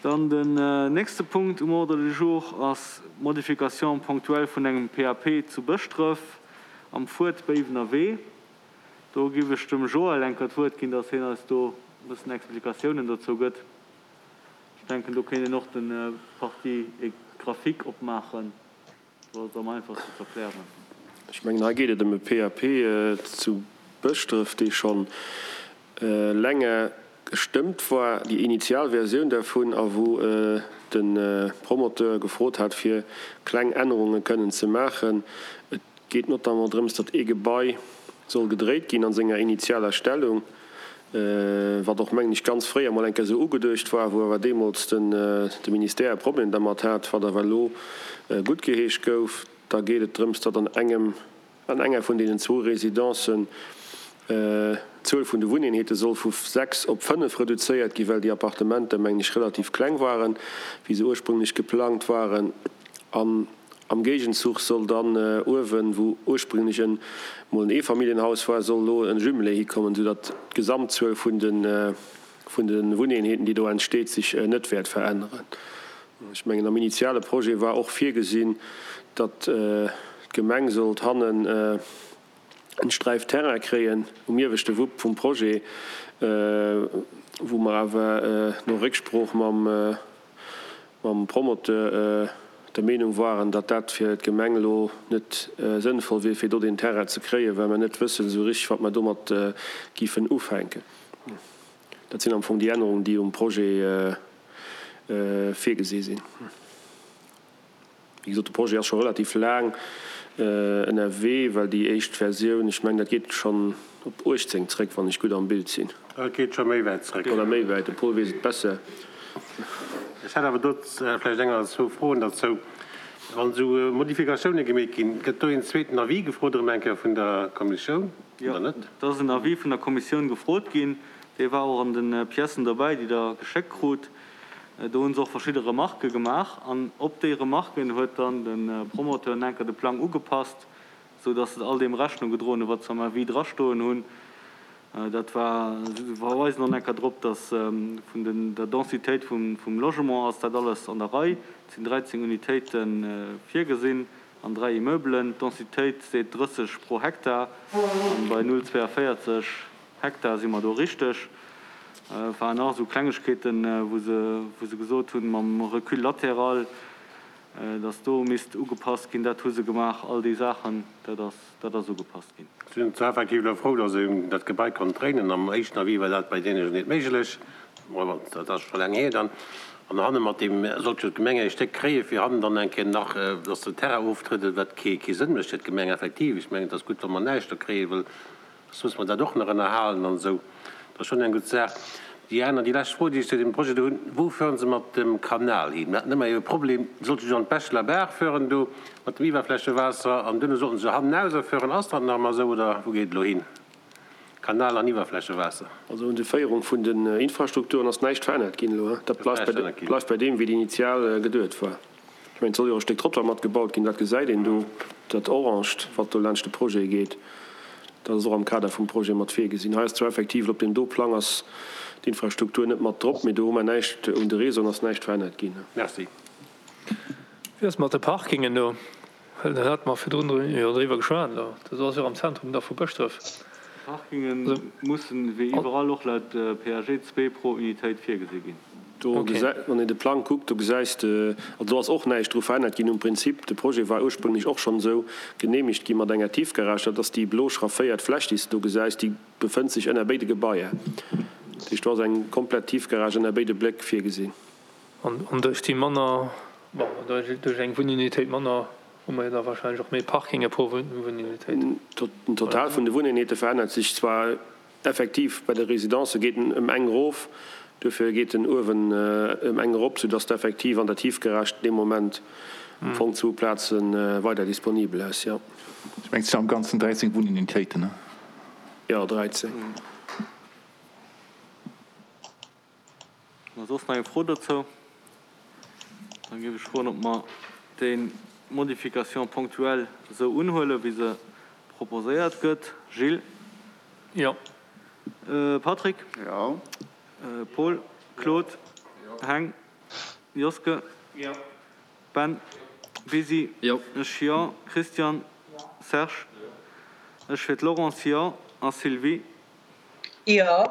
Dann den nächste Punkt um Ordre du jour ass d'Modification ponctuelle vun engem PAP zu Bëschdref am Fuert Béiwener Wee. Do giff ech dem Joël eng Kéier d'Wuert ginn, dass hien eis do e bëssen Explikatiounen dozou gëtt. Ech denken, do kéint een och de Partie graphique opmaachen. Do ass et am einfachsten ze erklären. Ech mengen, hei geet et ëm e PAP zu Bëschdref, dee scho länger gestëmmt war, déi initial Versioun dervun, a wou de Promoteur gefrot hat, fir kleng Ännerunge kënnen ze maachen. Et geet notamment drëms, datt ee Gebai soll gedréit ginn a senger initialer Stellung. Wat och, mengen ech, ganz fréier mol eng Kéier esou ugeduecht war, wou awer deemools de Ministère e Problem dermat hat, wat awer elo guttgeheescht gouf. Da geet et drëms, datt an engem, an enger vun deenen zwou Residencen d'Zuel vun de Wunneenheete soll vu 6 op 5 reduzéiert ginn, well déi Appartementer, mengen ech, relativ kleng waren, wéi se ursprünglech geplangt waren. An am Géigenzuch soll dann uewen, wou ursprünglech en mol en Eefamilljenhaus war, soll elo en Jumelé hikommen, esou datt d'Gesamtzuel vun de vun de Wunneenheeten, déi do entsteet, sech net wäert veränneren. Ech mengen, am initiale Projet war och virgesinn, datt d'Gemeng sollt hannen en Sträif Terrain kréien um ieweschte Wupp vum Projet, wou mer awer no Récksprooch mam mam Promoteur der Meenung waren, datt dat fir d'Gemeng elo net sënnvoll wier, fir do deen Terrain ze kréien, well mer net wëssen esou richtig, wat mer domat giffen ufänken. Dat sinn am Fong déi Ännerungen, déi um Projet virgesi sinn. Wéi gesot, de Projet ass scho relativ laang ënnerwee, well déi éischt Versioun, ech mengen, dat geet schonn op 18 zréck, wann ech gutt am Bild sinn. Et geet scho méi wäit zréck. Oder méi wäit, de Paul weess et besser. Ech hätt awer do vläicht eng oder zwou Froen derzou. Wann esou Modifikatioune gemeet ginn, gëtt do een zweeten Avis gefrot erëm eng Kéier vun der Kommissioun oder net? Jo, et ass en Avis vun der Kommissioun gefrot ginn. Dee war och an de Piècen derbäi, déi Der geschéckt krut. Do hu se och verschidde Remarquë gemaach an op déi Remarquen huet dann de Promoteur enker de Plang ugepasst, esou datt se all deem Rechnung gedroen hunn, wat se am Avis drastoen hunn. Dat war, se verweisen och enker drop, datt vun den der Densitéit vum Logement ass dat alles an der Rei. Et sinn 13 Unitéite virgesinn an 3 Immeubelen. D'Densitéit seet 30 pro Hektar an bei 0,42 Hektar si mer do richteg. Et waren nach esou Klengegkeeten, wou se, wou se gesot hunn, mam Recul latéral, dass do misst ugepasst ginn. Dat hu se gemaach. All déi Saachen, dat ass, dat ass ugepasst ginn. Ech sinn zwar effektiv elo frou, dass een dat Gebai konnt dréinen. Am éischten Avis war dat bei deene jo net méiglech. Bon, dat ass scho laang hier dann. An hanne mat deem sollt jo d'Gemeng e Stéck kréie fir hannen dann eng Kéier nach, dass den Terrain oftrëdelt, wat kee Sënn mécht fir d'Gemeng effektiv. Ech mengen, et ass gutt, wa mer näischt do kréien, well Soss muss mer dat och nach ënnerhalen an esou. Dat ass schonn eng gutt Saach. Déi aner, déi lescht Fro, déi ech zu deem Projet do hunn, Wou fueren se mat dem Kanal hin? Mir haten ëmmer e Problem, sollte se an d'Bechler Baach fueren do mat dem Iwwerflächewaasser an duerno sollten se hannenauser fueren. Ass dat nach ëmmer esou oder wou geet et elo hin? Kanal an Iwwerflächewaasser. Also un de Féierung vun den Infrastrukturen ass näischt verännert ginn elo. Dat bleift bei deem, wéi et initial geduet war. Ech mengen, et soll jo och e Stéck Trottoir mat gebaut ginn, dat gesäit een do, dat Oranged, wat do laanscht de Projet geet, dat ass och am Kader vum Projet mat virgesinn. Hei ass zwar effektiv, op deem do Plang ass d'Infrastruktur net mat drop, mee do hu mer näischt, un de Réseauen ass näischt verännert ginn. Merci. Wéi ass et mat de Parkingen do? Well do hate mer virdrun jo driwwer geschwat elo. Dat ass jo am Zentrum da vu Bëschdref. Parkinge mussen, wéi iwwerall och laut PAG, zwee pro Unitéit virgesi ginn. Do gesäit, wann een de Plang kuckt, do gesäis de, also do ass och näischt dru verännert ginn um Prinzip. De Projet war ursprünglech och schonn esou geneemegt gi mat enger Tiefgarage. Dat ass déi blo schrafféiert Fläch, déi s de do gesäis, déi befënnt sech ënner béide Gebaier. Dat heescht, do ass eng komplett Tiefgarage ënner béide Bléck virgesinn. An duerch déi manner, bon, duerch eng Wunnunitéit manner hu mer jo da wahrscheinlech och méi Parkinge pro Wunnunitéit. Den Total vun de Wunneenheete verännert sech zwar effektiv, bei de Residencë geet en ëm eng erof, duerfir geet en uewen ëm eng erop, soudass de effektiv an der Tiefgarage dee Moment am Fong zwou Plaze weider disponibel hues, jo. Ech mengen, et sinn am Ganzen 13 Wunnunitéiten, ne? Jo, 13. Ass soss nach eng Fro dozou? Da géif ech froen, ob mer déi Modification ponctuelle esou unhuelen, wéi se proposéiert gëtt. Gilles? Jo. Patrick? Jo. Paul? Claude? Jo. Heng? Joske? Jo. Ben? Bisi? Jo. Ech, Jo. Christian? Serge? Ech fir d'Laurence, Jo. A Sylvie? Jo.